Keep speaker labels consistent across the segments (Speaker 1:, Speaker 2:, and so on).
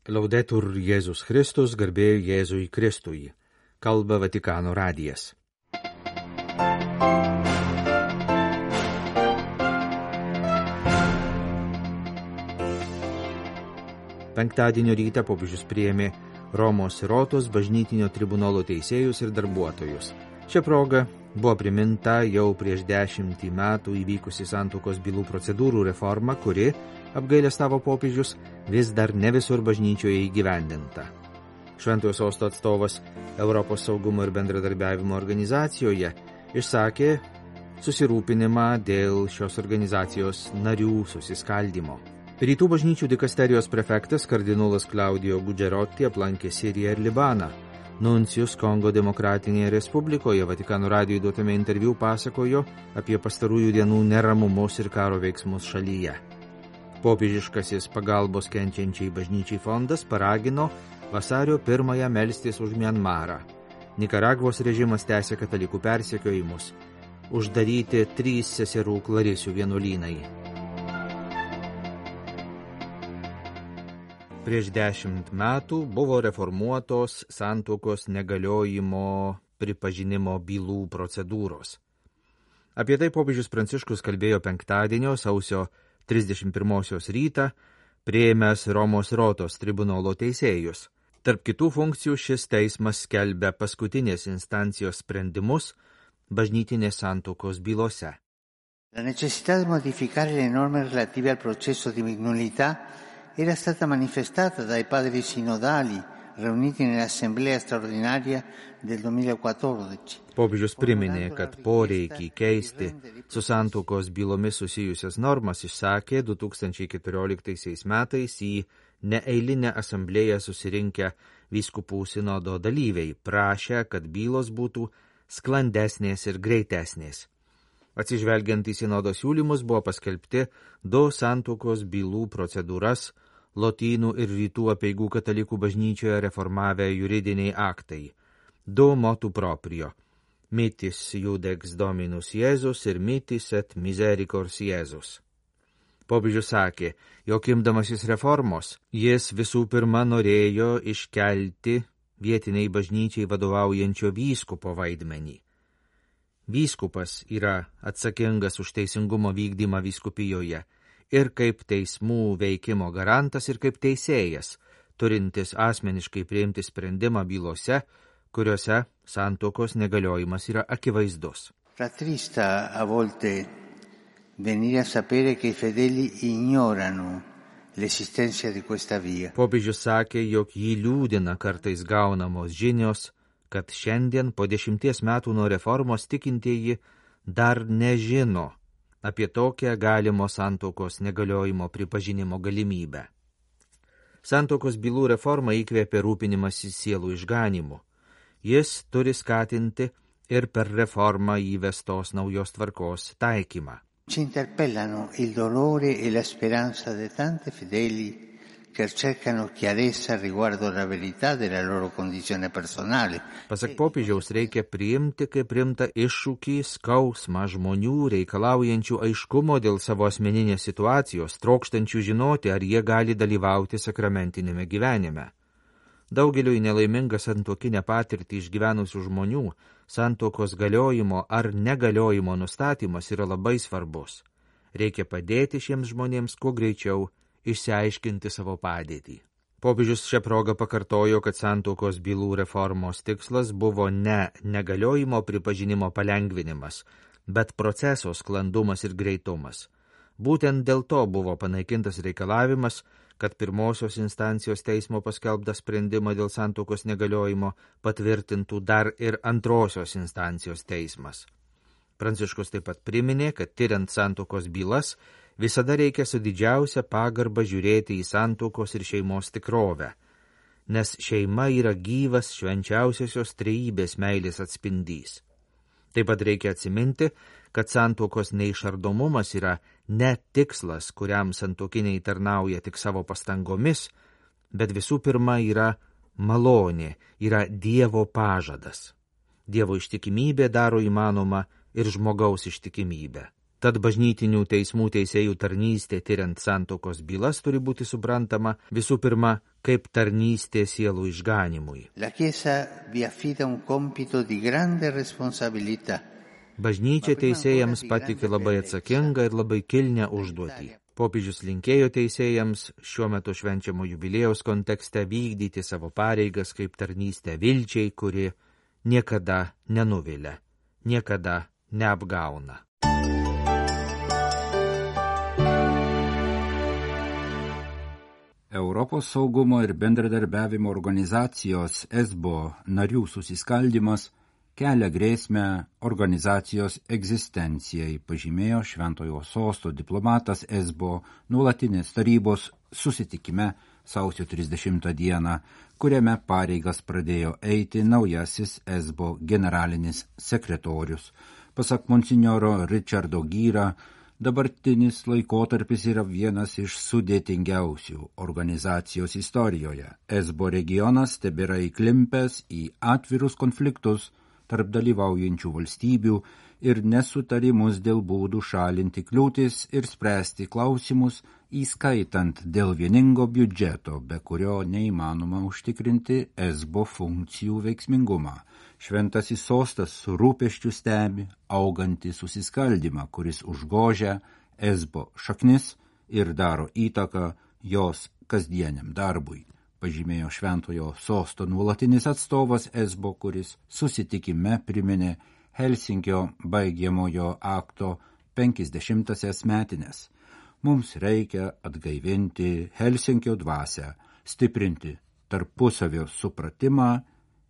Speaker 1: Laudetur Jėzus Kristus, garbė Jėzui Kristui. Kalba Vatikano radijas. Penktadienio rytą popiežius priėmė Romos Sirotos bažnytinio tribunolo teisėjus ir darbuotojus. Šia proga buvo priminta jau prieš 10 metų įvykusi santuokos bylų procedūrų reforma, kuri, apgailestavo popiežius, vis dar ne visur bažnyčioje įgyvendinta. Šventojo Sosto atstovas Europos saugumo ir bendradarbiavimo organizacijoje išsakė susirūpinimą dėl šios organizacijos narių susiskaldymo. Rytų bažnyčių dikasterijos prefektas kardinolas Claudio Gugerotti aplankė Siriją ir Libaną. Nuncijus Kongo Demokratinėje Respublikoje Vatikano radijui duotame interviu pasakojo apie pastarųjų dienų neramumus ir karo veiksmus šalyje. Popiežiškasis pagalbos kenčiančiai bažnyčiai fondas paragino vasario 1 melstis už Mianmarą. Nikaragvos režimas tęsia katalikų persekiojimus. Uždaryti 3 seserų Klarisių vienuolynai. Prieš 10 metų buvo reformuotos santuokos negaliojimo pripažinimo bylų procedūros. Apie tai popiežius Pranciškus kalbėjo penktadienio sausio 31 rytą, priėmęs Romos Sirotos tribunolo teisėjus. Tarp kitų funkcijų šis teismas skelbia paskutinės instancijos sprendimus bažnytinės santuokos bylose.
Speaker 2: La necessità di modificare le norme relative al processo di minorità era stata manifestata dai padri sinodali riuniti nell'assemblea straordinaria del 2014.
Speaker 1: Popiežius priminė, kad poreikį keisti su santuokos bylomis susijusias normas išsakė 2014 metais į neeilinę asamblėją susirinkę vyskupų sinodo dalyviai, prašę, kad bylos būtų sklandesnės ir greitesnės. Atsižvelgiant į sinodo siūlymus buvo paskelbti 2 santuokos bylų procedūras Lotynų ir Rytų apeigų katalikų bažnyčioje reformavę juridiniai aktai. 2 motu proprio – Mitis Judex Dominus Jėzus ir Mitis et Misericors Jėzus. Popiežius sakė, jog imdamasis reformos, jis visų pirma norėjo iškelti vietiniai bažnyčiai vadovaujančio vyskupo vaidmenį. Vyskupas yra atsakingas už teisingumo vykdymą vyskupijoje ir kaip teismų veikimo garantas ir kaip teisėjas, turintis asmeniškai priimti sprendimą bylose, kuriuose santuokos negaliojimas yra akivaizdus.
Speaker 2: Rattrista a volte venire a sapere che i fedeli ignorano l'esistenza di questa via.
Speaker 1: Popiežius sakė, jog jį liūdina kartais gaunamos žinios, kad šiandien po 10 metų nuo reformos tikintieji dar nežino apie tokią galimo santuokos negaliojimo pripažinimo galimybę. Santuokos bylų reforma įkvėpė rūpinimąsi sielų išganimu. Jis turi skatinti ir per reformą įvestos naujos tvarkos taikymą.
Speaker 2: Ci interpellano il dolore e la speranza di tanti fedeli che cercano chiarezza riguardo la verità della loro condizione personale.
Speaker 1: Pasak popiežiaus reikia priimti kaip rimtą iššūkį skausmą žmonių reikalaujančių aiškumo dėl savo asmeninės situacijos, trokštančių žinoti, ar jie gali dalyvauti sakramentinėme gyvenime. Daugeliui nelaimingą santuokinę patirtį išgyvenusių žmonių santuokos galiojimo ar negaliojimo nustatymas yra labai svarbus. Reikia padėti šiems žmonėms kuo greičiau išsiaiškinti savo padėtį. Popiežius šią progą pakartojo, kad santuokos bylų reformos tikslas buvo ne negaliojimo pripažinimo palengvinimas, bet proceso sklandumas ir greitumas. Būtent dėl to buvo panaikintas reikalavimas, kad pirmosios instancijos teismo paskelbtą sprendimą dėl santuokos negaliojimo patvirtintų dar ir antrosios instancijos teismas. Pranciškus taip pat priminė, kad tiriant santuokos bylas, visada reikia su didžiausia pagarba žiūrėti į santuokos ir šeimos tikrovę, nes šeima yra gyvas švenčiausiosios trejybės meilės atspindys. Taip pat reikia atsiminti, kad santuokos neišardomumas yra ne tikslas, kuriam santuokiniai tarnauja tik savo pastangomis, bet visų pirma yra malonė, yra Dievo pažadas. Dievo ištikimybė daro įmanoma ir žmogaus ištikimybę. Tad bažnytinių teismų teisėjų tarnystė tyriant santuokos bylas turi būti suprantama visų pirma kaip tarnystė sielų išganimui.
Speaker 2: La Chiesa vi affida un compito di grande responsabilità.
Speaker 1: Bažnyčia teisėjams patikė labai atsakingą ir labai kilnią užduotį. Popiežius linkėjo teisėjams šiuo metu švenčiamo jubiliejaus kontekste vykdyti savo pareigas kaip tarnystę vilčiai, kuri niekada nenuvilia, niekada neapgauna.
Speaker 3: Europos saugumo ir bendradarbiavimo organizacijos ESBO narių susiskaldimas kelia grėsmę organizacijos egzistencijai, pažymėjo Šventojo Sosto diplomatas ESBO nuolatinės tarybos susitikime sausio 30 dieną, kuriame pareigas pradėjo eiti naujasis ESBO generalinis sekretorius. Pasak monsinjoro Richardo Gyra, dabartinis laikotarpis yra vienas iš sudėtingiausių organizacijos istorijoje. ESBO regionas tebėra įklimpęs į atvirus konfliktus tarp dalyvaujančių valstybių ir nesutarimus dėl būdų šalinti kliūtis ir spręsti klausimus, įskaitant dėl vieningo biudžeto, be kurio neįmanoma užtikrinti ESBO funkcijų veiksmingumą. Šventasis sostas su rūpesčiu stebi augantį susiskaldimą, kuris užgožia ESBO šaknis ir daro įtaką jos kasdieniam darbui, pažymėjo Šventojo Sosto nuolatinis atstovas ESBO, kuris susitikime priminė Helsinkio baigiamojo akto 50-asias metines. Mums reikia atgaivinti Helsinkio dvasią, stiprinti tarpusavio supratimą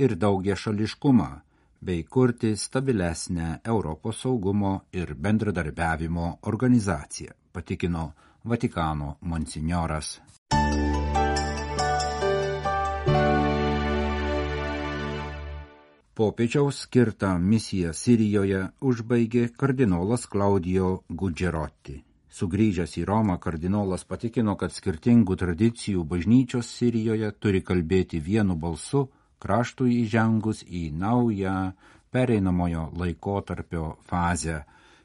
Speaker 3: ir daugiašališkumą, bei kurti stabilesnę Europos saugumo ir bendradarbiavimo organizaciją, patikino Vatikano monsinjoras. Popiežiaus skirtą misiją Sirijoje užbaigė kardinolas Claudio Gugerotti. Sugrįžęs į Romą, kardinolas patikino, kad skirtingų tradicijų bažnyčios Sirijoje turi kalbėti vienu balsu, kraštui įžengus į naują pereinamojo laikotarpio fazę.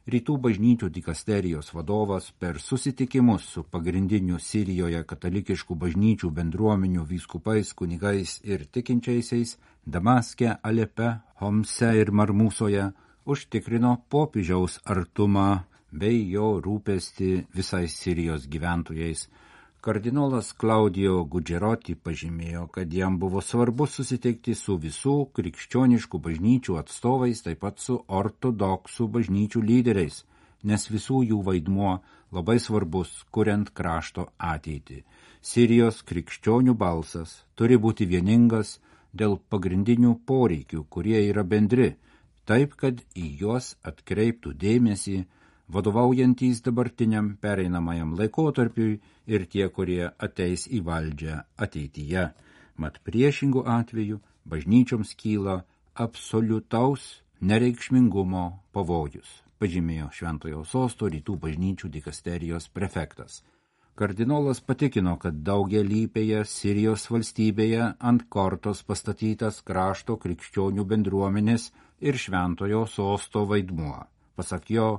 Speaker 3: Rytų bažnyčių dikasterijos vadovas per susitikimus su pagrindiniu Sirijoje katalikiškų bažnyčių bendruomenių vyskupais, kunigais ir tikinčiaisiais Damaske, Alepe, Homse ir Marmusoje užtikrino popiežiaus artumą bei jo rūpestį visais Sirijos gyventojais. Kardinolas Claudio Gugerotti pažymėjo, kad jam buvo svarbu susitikti su visų krikščioniškų bažnyčių atstovais, taip pat su ortodoksų bažnyčių lyderiais, nes visų jų vaidmuo labai svarbus, kuriant krašto ateitį. Sirijos krikščionių balsas turi būti vieningas dėl pagrindinių poreikių, kurie yra bendri, taip, kad į juos atkreiptų dėmesį vadovaujantys dabartiniam pereinamajam laikotarpiui ir tie, kurie ateis į valdžią ateityje. Mat priešingų atveju bažnyčioms kyla absoliutaus nereikšmingumo pavojus, pažymėjo Šventojo Sosto rytų bažnyčių dikasterijos prefektas. Kardinolas patikino, kad daugialypėje Sirijos valstybėje ant kortos pastatytas krašto krikščionių bendruomenės ir Šventojo Sosto vaidmuo. Pasak jo,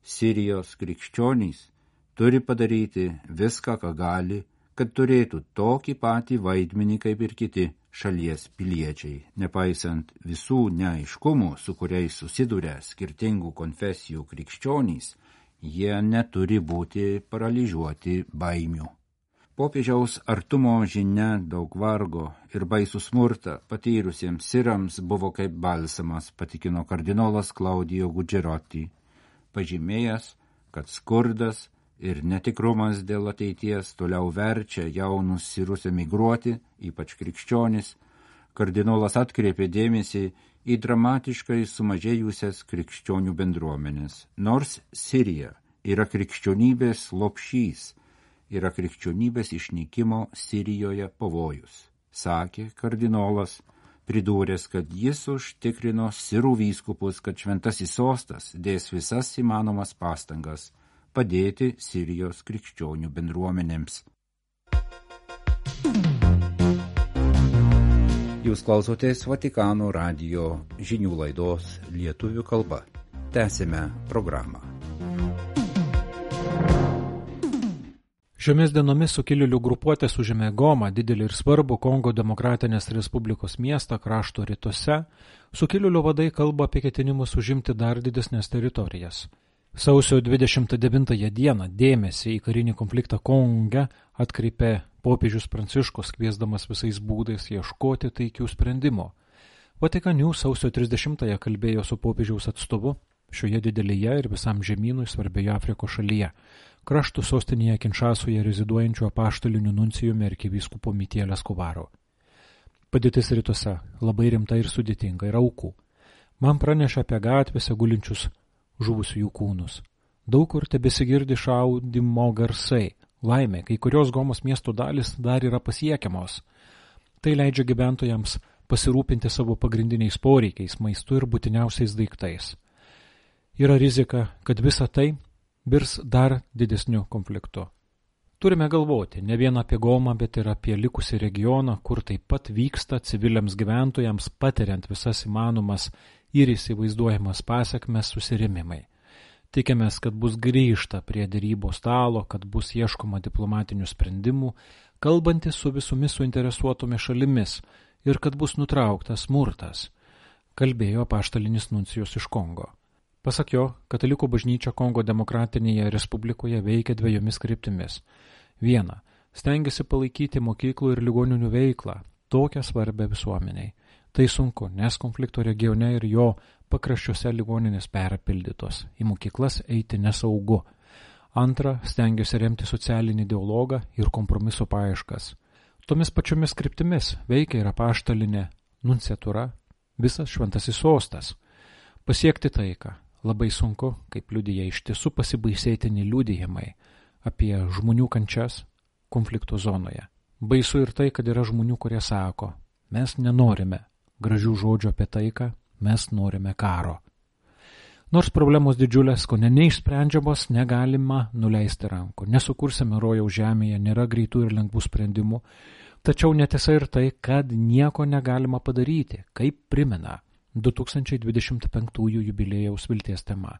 Speaker 3: Sirijos krikščionys turi padaryti viską, ką gali, kad turėtų tokį patį vaidmenį kaip ir kiti šalies piliečiai, nepaisant visų neaiškumų, su kuriais susiduria skirtingų konfesijų krikščionys, jie neturi būti paralyžiuoti baimių. Popiežiaus artumo žinia daug vargo ir baisų smurtą patyrusiems sirams buvo kaip balsamas, patikino kardinolas Claudio Gugerotti, pažymėjęs, kad skurdas ir netikrumas dėl ateities toliau verčia jaunus sirus emigruoti, ypač krikščionis. Kardinolas atkreipė dėmesį į dramatiškai sumažėjusias krikščionių bendruomenės. Nors Sirija yra krikščionybės lopšys, yra krikščionybės išnykimo Sirijoje pavojus, sakė kardinolas, pridūręs, kad jis užtikrino sirų vyskupus, kad Šventasis Sostas dės visas įmanomas pastangas padėti Sirijos krikščionių bendruomenėms. Jūs klausotės Vatikano radijo žinių laidos lietuvių kalba. Tęsime programą.
Speaker 4: Šiomis dienomis sukilėlių grupuotės užėmė Gomą, didelį ir svarbų Kongo Demokratinės Respublikos miestą krašto rytuose. Sukilėlių vadai kalba apie ketinimus užimti dar didesnės teritorijas. Sausio 29 dieną dėmesį į karinį konfliktą Konge atkreipė popiežius Pranciškus, kviesdamas visais būdais ieškoti taikių sprendimų. Vatikanių sausio 30-ąją kalbėjo su popiežiaus atstovu šioje didelėje ir visam žemynui svarbioje Afrikos šalyje, kraštų sostinėje Kinšasoje reziduojančiu apaštaliniu nuncijumi arkivyskupu Mitiel Escobaru. Padėtis rytuose labai rimta ir sudėtinga, yra aukų. Man pranešė apie gatvėse gulinčius žuvusiųjų kūnus. Daug kur tebesigirdi šaudimo garsai. Laimė, kai kurios Gomos miesto dalis dar yra pasiekiamos. Tai leidžia gyventojams pasirūpinti savo pagrindiniais poreikiais, maistu ir būtiniausiais daiktais. Yra rizika, kad visa tai virs dar didesniu konfliktu. Turime galvoti ne vien apie Gomą, bet ir apie likusį regioną, kur taip pat vyksta civiliams gyventojams, patiriant visas įmanomas ir įsivaizduojamas pasekmes susirėmimai. Tikimės, kad bus grįžta prie derybos stalo, kad bus ieškoma diplomatinių sprendimų, kalbantis su visomis suinteresuotomis šalimis ir kad bus nutrauktas smurtas, kalbėjo apaštalinis nuncijus iš Kongo. Pasak jo, Katalikų bažnyčia Kongo Demokratinėje Respublikoje veikia dviejomis kryptimis. Viena, stengiasi palaikyti mokyklų ir ligoninių veiklą, tokią svarbę visuomeniai. Tai sunku, nes konflikto regione ir jo pakraščiuose ligoninės perpildytos, į mokyklas eiti nesaugu. Antra, stengiasi remti socialinį dialogą ir kompromiso paieškas. Tomis pačiomis kryptimis veikia ir apaštalinė nunciatūra, visas šventasis sostas. Pasiekti taiką labai sunku, kaip liudija iš tiesų pasibaisėtini liudijimai apie žmonių kančias konflikto zonoje. Baisu ir tai, kad yra žmonių, kurie sako, mes nenorime gražių žodžių apie taiką, mes norime karo. Nors problemos didžiulės, ko neišsprendžiamos, negalima nuleisti rankų. Nesukursime rojaus žemėje, nėra greitų ir lengvų sprendimų, tačiau netiesa ir tai, kad nieko negalima padaryti, kaip primena 2025 jubiliejaus vilties tema.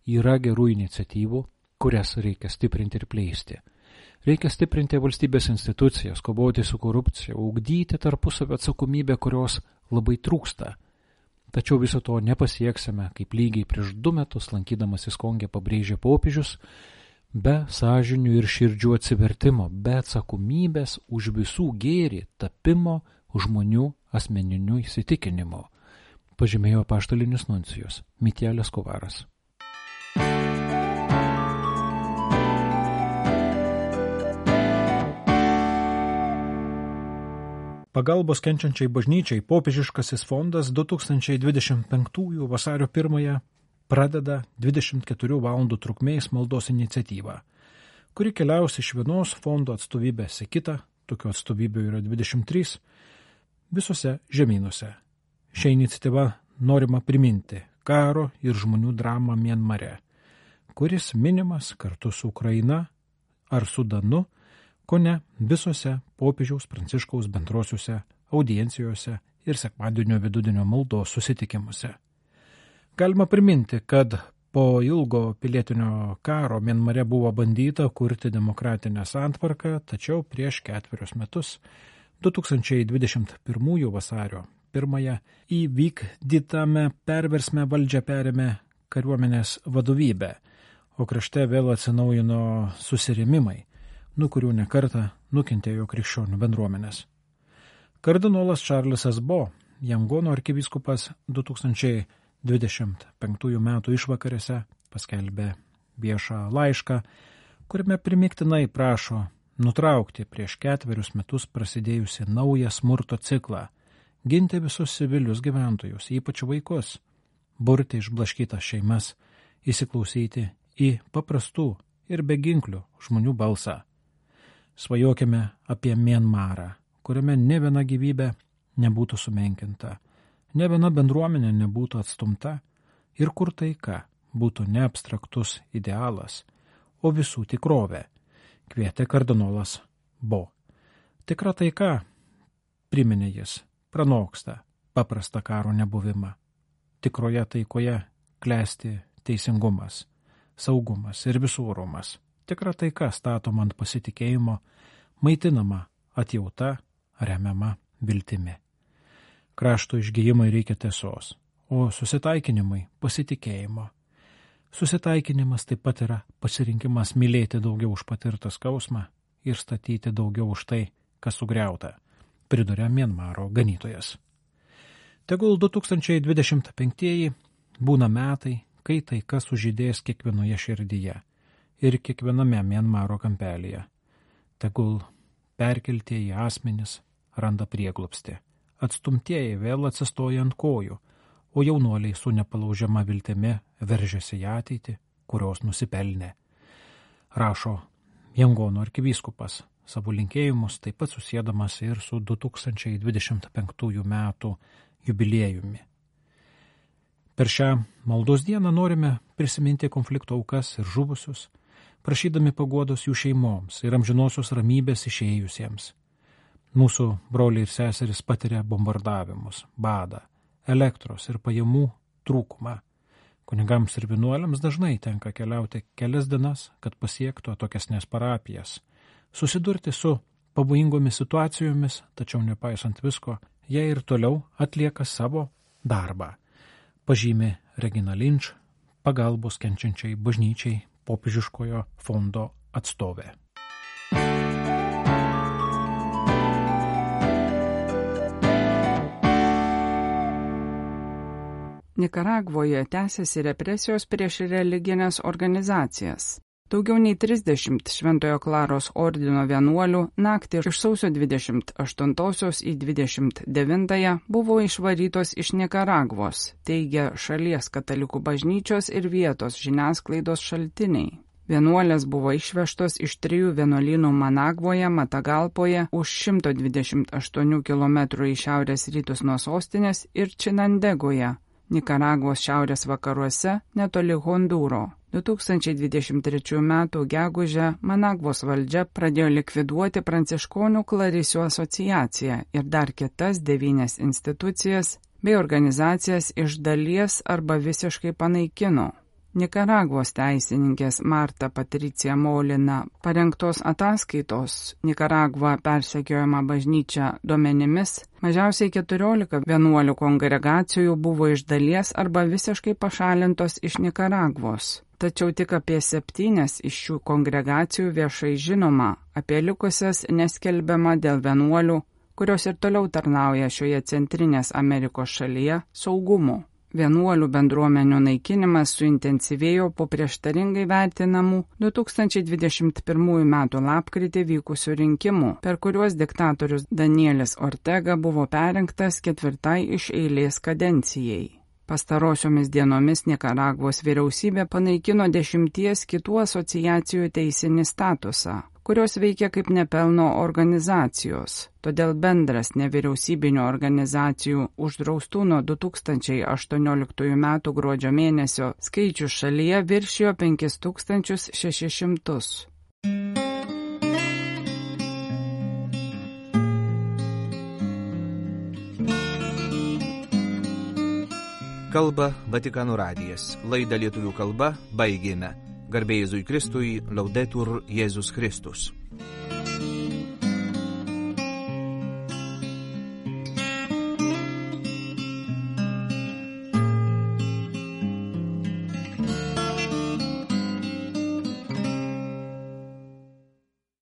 Speaker 4: Yra gerų iniciatyvų, kurias reikia stiprinti ir plėsti. Reikia stiprinti valstybės institucijas, kovoti su korupcija, ugdyti tarpusavio atsakomybę, kurios labai trūksta. Tačiau viso to nepasieksime, kaip lygiai prieš 2 metus lankydamasis Konge pabrėžė popiežius, be sąžinių ir širdžių atsivertimo, be atsakomybės už visų gėrį tapimo žmonių asmeninių įsitikinimo, pažymėjo apaštalinis nuncijus Mitiel Escobaras. Pagalbos kenčiančiai bažnyčiai popiežiškasis fondas 2025 vasario 1 pradeda 24 valandų trukmės maldos iniciatyvą, kuri keliaus iš vienos fondo atstovybės į kitą, tokių atstovybių yra 23, visose žemynuose. Šią iniciatyvą norima priminti karo ir žmonių dramą Mianmare, kuris minimas kartu su Ukraina ar Sudanu, kone visose popiežiaus Pranciškaus bendrosiuose audiencijose ir sekmadienio vidudienio maldos susitikimuose. Galima priminti, kad po ilgo pilietinio karo Mianmare buvo bandyta kurti demokratinę santvarką, tačiau prieš 4 metus, 2021 vasario 1 įvykdytame perversme valdžią perėmė kariuomenės vadovybė, o krašte vėl atsinaujino susirėmimai, nuo kurių nekartą nukentėjo krikščionių bendruomenės. Kardinolas Čarlzas Bo, Jangono arkivyskupas 2025 metų išvakarėse paskelbė viešą laišką, kuriame primiktinai prašo nutraukti prieš 4 metus prasidėjusi naują smurto ciklą, ginti visus civilius gyventojus, ypač vaikus, burti išblaškytas šeimas, įsiklausyti į paprastų ir beginklių žmonių balsą. Svajokime apie Mianmarą, kuriame ne viena gyvybė nebūtų sumenkinta, ne viena bendruomenė nebūtų atstumta ir kur taika būtų ne abstraktus idealas, o visų tikrovė, kvietė kardinolas Bo. Tikra taika, priminė jis, pranoksta paprastą karo nebuvimą. Tikroje taikoje klesti teisingumas, saugumas ir visų orumas. Tikra taika statoma ant pasitikėjimo, maitinama atjauta, remiama viltimi. Krašto išgijimui reikia tiesos, o susitaikinimui pasitikėjimo. Susitaikinimas taip pat yra pasirinkimas mylėti daugiau už patirtą skausmą ir statyti daugiau už tai, kas sugriauta, priduria Mianmaro ganytojas. Tegul 2025 būna metai, kai taika sužydės kiekvienoje širdyje ir kiekviename Mianmaro kampelyje. Tegul perkeltieji asmenys randa prieglobstį, atstumtieji vėl atsistoja ant kojų, o jaunuoliai su nepalaužiama viltimi veržiasi į ateitį, kurios nusipelnė. Rašo Jangono arkivyskupas, savo linkėjimus taip pat susėdamas ir su 2025 metų jubiliejumi. Per šią maldos dieną norime prisiminti konflikto aukas ir žuvusius, prašydami paguodos jų šeimoms ir amžinosios ramybės išėjusiems. Mūsų broliai ir seserys patiria bombardavimus, badą, elektros ir pajamų trūkumą. Kunigams ir vienuoliams dažnai tenka keliauti kelias dienas, kad pasiektų atokesnės parapijas, susidurti su pavojingomis situacijomis, tačiau nepaisant visko, jie ir toliau atlieka savo darbą, pažymi Regina Lynch, pagalbos kenčiančiai bažnyčiai popiežiškojo fondo atstovė.
Speaker 5: Nikaragvoje tęsiasi represijos prieš religinės organizacijas. Daugiau nei 30 Šventojo Klaros ordino vienuolių naktį iš sausio 28 į 29 buvo išvarytos iš Nikaragvos, teigia šalies katalikų bažnyčios ir vietos žiniasklaidos šaltiniai. Vienuolės buvo išvežtos iš 3 vienuolynų Managvoje, Matagalpoje, už 128 km į šiaurės rytus nuo sostinės ir Činandegoje, Nikaragvos šiaurės vakaruose, netoli Hondūro. 2023 m. gegužę Managvos valdžia pradėjo likviduoti Pranciškonių klarisių asociaciją ir dar kitas 9 institucijas bei organizacijas iš dalies arba visiškai panaikino. Nikaragvos teisininkės Marta Patricija Molina parengtos ataskaitos Nikaragva persekiojama bažnyčia duomenimis mažiausiai 14 vienuolių kongregacijų buvo iš dalies arba visiškai pašalintos iš Nikaragvos. Tačiau tik apie 7 iš šių kongregacijų viešai žinoma, apie likusias neskelbiama dėl vienuolių, kurios ir toliau tarnauja šioje Centrinės Amerikos šalyje, saugumu. Vienuolių bendruomenių naikinimas suintensyvėjo po prieštaringai vertinamų 2021 m. lapkritį vykusių rinkimų, per kuriuos diktatorius Danielis Ortega buvo perrinktas 4. iš eilės kadencijai. Pastarosiomis dienomis Nikaragvos vyriausybė panaikino 10 kitų asociacijų teisinį statusą, kurios veikia kaip nepelno organizacijos. Todėl bendras nevyriausybinių organizacijų uždraustų nuo 2018 m. gruodžio mėnesio skaičius šalyje viršijo 5600.
Speaker 1: Kalba Vatikano radijas. Laidą lietuvių kalba baigėme. Garbė Jėzui Kristui, Laudetur Jėzus Kristus.